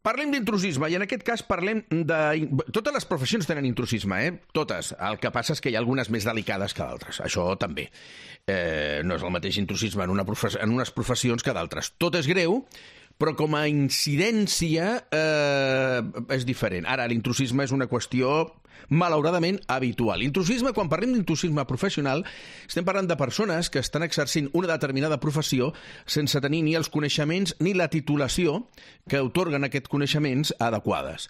Parlem d'intrusisme, i en aquest cas parlem de... Totes les professions tenen intrusisme, Totes. El que passa és que hi ha algunes més delicades que d'altres. Això també. No és el mateix intrusisme en unes professions que d'altres. Tot és greu, però com a incidència és diferent. Ara, l'intrusisme és una qüestió malauradament habitual. Intrusisme, quan parlem d'intrusisme professional, estem parlant de persones que estan exercint una determinada professió sense tenir ni els coneixements ni la titulació que atorguen aquests coneixements adequades.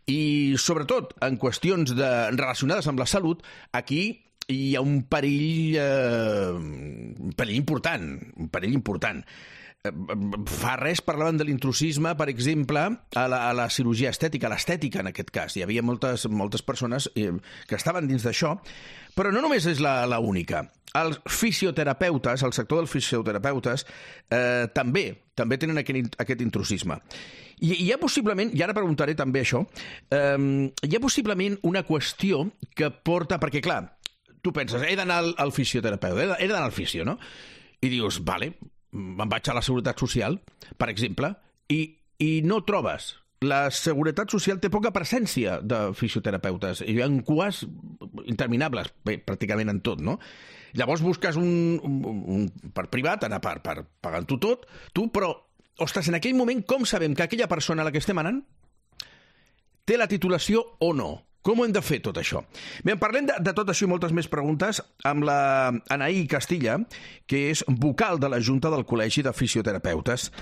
I, sobretot, en qüestions relacionades amb la salut, aquí hi ha un perill important, Fa res parlaven de l'intrusisme, per exemple, a la cirurgia estètica, a l'estètica en aquest cas. Hi havia moltes persones que estaven dins d'això, però no només és la única. Els fisioterapeutes, el sector dels fisioterapeutes, també tenen aquest intrusisme. Hi ha possiblement, i ara preguntaré també això, hi ha possiblement una qüestió que porta... Perquè, clar, tu penses, he d'anar al fisioterapeuta, he d'anar al fisio, no? I dius, vale, me'n vaig a la Seguretat Social, per exemple, i no trobes. La Seguretat Social té poca presència de fisioterapeutes. Hi ha cues interminables, bé, pràcticament en tot, no? Llavors busques per privat, anar pagant-ho tot, però, ostres, en aquell moment, com sabem que aquella persona a la que estem anant té la titulació o no? Com ho hem de fer, tot això? Bé, parlem de tot això i moltes més preguntes amb la Anaí Castilla, que és vocal de la Junta del Col·legi de Fisioterapeutes.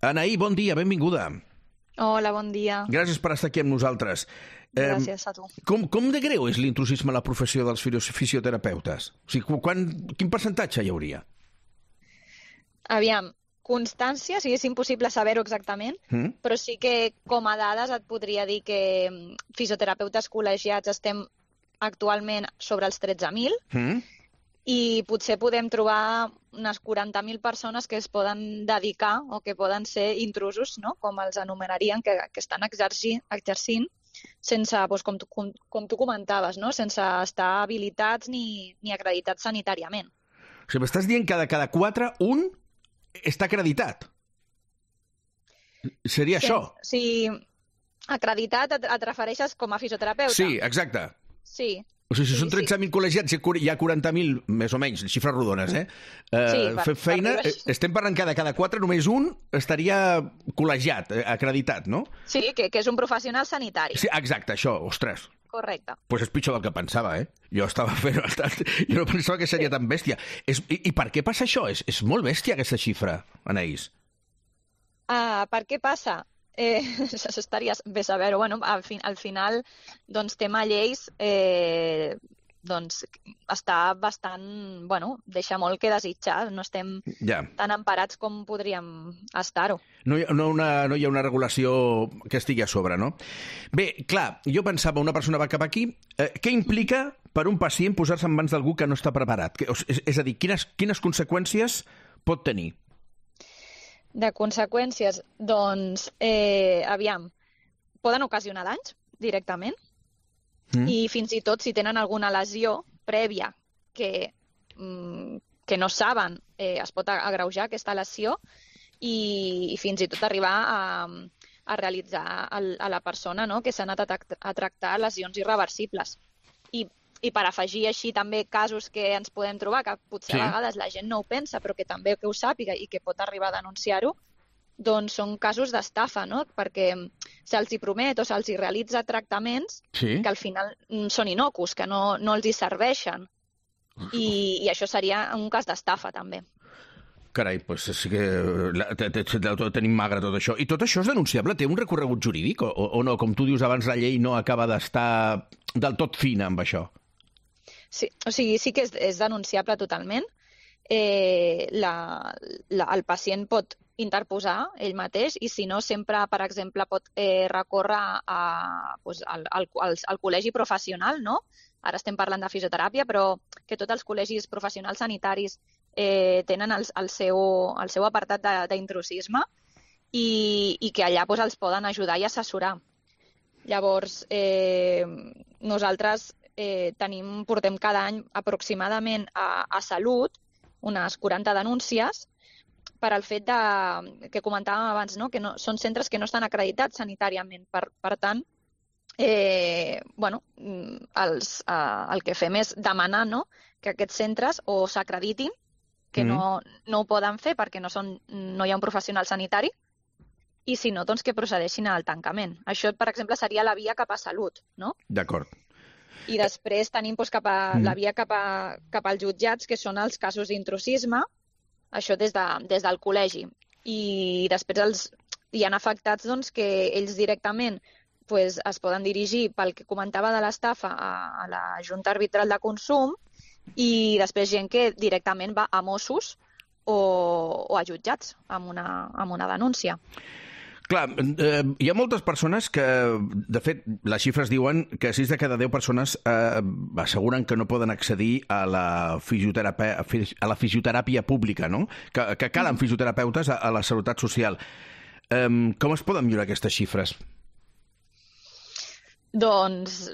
Anaí, bon dia, benvinguda. Hola, bon dia. Gràcies per estar aquí amb nosaltres. Gràcies a tu. Com de greu és l'intrusisme a la professió dels fisioterapeutes? O sigui, quin percentatge hi hauria? Aviam, constància, sí, és impossible saber-ho exactament, però sí que com a dades et podria dir que fisioterapeutes col·legiats estem actualment sobre els 13.000 i potser podem trobar unes 40.000 persones que es poden dedicar o que poden ser intrusos, no? Com els anomenarien, que estan exercint sense, doncs, com tu comentaves, no? Sense estar habilitats ni acreditats sanitàriament. O sigui, m'estàs dient que de cada 4, un està acreditat. Seria això? Sí, acreditat et refereixes com a fisioterapeuta? Sí, exacte. Sí. O sigui, si són 13.000 col·legiats, hi ha 40.000, més o menys, xifres rodones, fent feina, estem parlant que de cada 4, només un estaria col·legiat, acreditat, no? Sí, que és un professional sanitari. Sí, exacte, això, ostres. Correcte. Doncs és pitjor del que pensava, Jo estava fent bastant... Jo no pensava que seria tan bèstia. I per què passa això? És molt bèstia, aquesta xifra, Anaïs. Per què passa? Estaria bé saber-ho. Bueno, al final, doncs, tema lleis, doncs, està bastant... Bueno, deixa molt que desitjar. No estem tan emparats com podríem estar-ho. No hi ha una regulació que estigui a sobre, no? Bé, clar, jo pensava, una persona va cap aquí, què implica per un pacient posar-se en mans d'algú que no està preparat? És a dir, quines conseqüències pot tenir? De conseqüències, doncs, aviam, poden ocasionar danys directament i fins i tot si tenen alguna lesió prèvia que no saben, es pot agreujar aquesta lesió i fins i tot arribar a realitzar a la persona, no?, que s'ha anat a tractar lesions irreversibles. I per afegir així també casos que ens podem trobar, que potser a vegades la gent no ho pensa, però que també que ho sàpiga i que pot arribar a denunciar-ho, doncs són casos d'estafa, no? Perquè se'ls hi promet o se'ls hi realitza tractaments que al final són innocus, que no els hi serveixen. I això seria un cas d'estafa, també. Carai, doncs sí que tenim magre tot això. I tot això és denunciable? Té un recorregut jurídic o no? Com tu dius abans, la llei no acaba d'estar del tot fina amb això. Sí, o sigui, sí que és denunciable totalment. El pacient pot interposar ell mateix i si no sempre, per exemple, pot recórrer al col·legi professional, no? Ara estem parlant de fisioteràpia, però que tots els col·legis professionals sanitaris tenen el seu apartat d'intrusisme i que allà els poden ajudar i assessorar. Llavors, nosaltres portem cada any aproximadament a Salut unes 40 denúncies per al fet que comentàvem abans, no? Que són centres que no estan acreditats sanitàriament. Per tant, el que fem és demanar, no?, que aquests centres o s'acreditin, que no ho poden fer perquè no hi ha un professional sanitari, i si no, doncs que procedeixin al tancament. Això, per exemple, seria la via cap a salut, no? D'acord. I després tenim la via cap als jutjats, que són els casos d'intrusisme, això des del col·legi. I després hi ha afectats doncs, que ells directament es poden dirigir, pel que comentava de l'estafa, a la Junta Arbitral de Consum, i després gent que directament va a Mossos o a jutjats amb una denúncia. Clar, hi ha moltes persones que, de fet, les xifres diuen que 6 de cada 10 persones asseguren que no poden accedir a la fisioteràpia pública, no? Que calen fisioterapeutes a la Seguretat Social. Com es poden millorar aquestes xifres? Doncs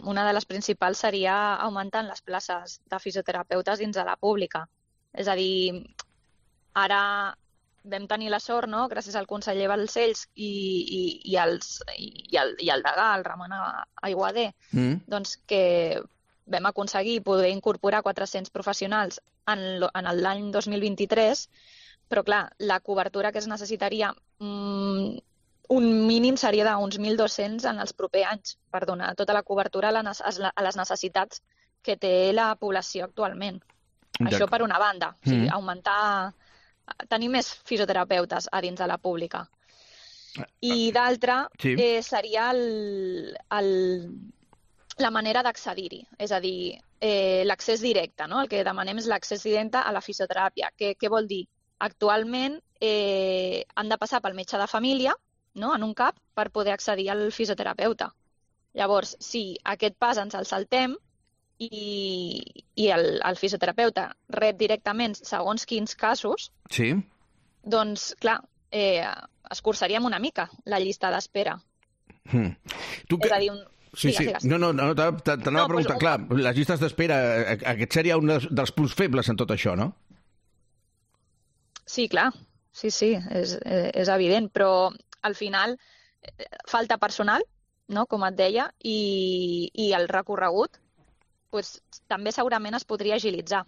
una de les principals seria augmentant les places de fisioterapeutes dins de la pública. És a dir, ara vam tenir la sort, no?, gràcies al conseller Balcells i al degà, el Ramon Aiguader, doncs que vam aconseguir poder incorporar 400 professionals en l'any 2023, però clar, la cobertura que es necessitaria un mínim seria d'uns 1.200 en els propers anys per donar tota la cobertura a les necessitats que té la població actualment. Això per una banda, o sigui, tenir més fisioterapeutes a dins de la pública. I d'altra seria la manera d'accedir-hi, és a dir, l'accés directe, no? El que demanem és l'accés directe a la fisioteràpia. Què vol dir? Actualment han de passar pel metge de família, no?, en un CAP, per poder accedir al fisioterapeuta. Llavors, si aquest pas ens el saltem i el fisioterapeuta rep directament segons quins casos, doncs, clar, escurçaríem una mica la llista d'espera. És a dir, No, t'anava a preguntar, clar, les llistes d'espera, aquest seria un dels punts febles en tot això, no? Sí, clar, sí, és evident, però al final falta personal, no?, com et deia, i el recorregut també segurament es podria agilitzar.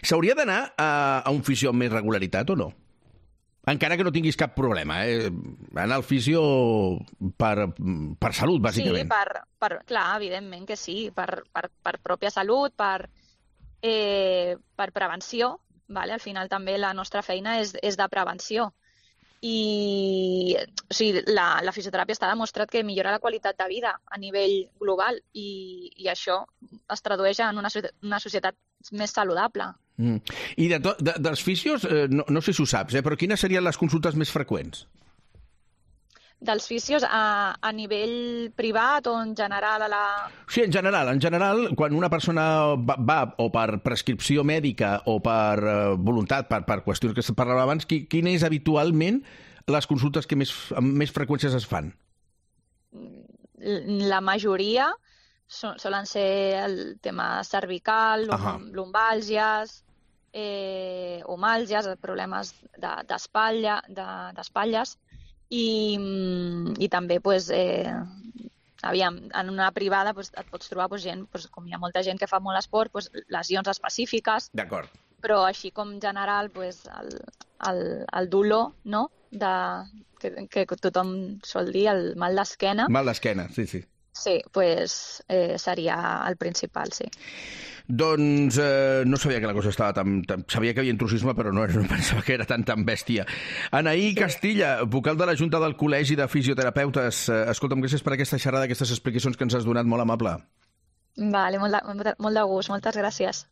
S'hauria d'anar a un fisio amb més regularitat o no? Encara que no tinguis cap problema, anar al fisio per salut, bàsicament. Sí, clar, evidentment que sí, per pròpia salut, per prevenció. Al final també la nostra feina és de prevenció. I la fisioteràpia està demostrat que millora la qualitat de vida a nivell global i això es tradueix en una societat més saludable. I dels fisios, no sé si ho saps, però quines serien les consultes més freqüents? Dels fisios a nivell privat o en general Sí, en general, quan una persona va o per prescripció mèdica o per voluntat, per qüestions que se parlava abans, quines és habitualment les consultes que amb més freqüències es fan? La majoria solen ser el tema cervical, lumbàlgies, omàlgies, problemes d'espatlles, i també, en una privada et pots trobar gent, com hi ha molta gent que fa molt esport, lesions específiques. D'acord. Però així com general, el dolor, no?, que tothom sol dir, el mal d'esquena. Mal d'esquena, sí. Sí, seria el principal, sí. Doncs no sabia que la cosa estava tan... Sabia que hi havia intrusisme, però no pensava que era tan bèstia. Anaí Castilla, vocal de la Junta del Col·legi de Fisioterapeutes. Escolta'm, gràcies per aquesta xerrada, aquestes explicacions que ens has donat, molt amable. Vale, molt de gust, moltes gràcies.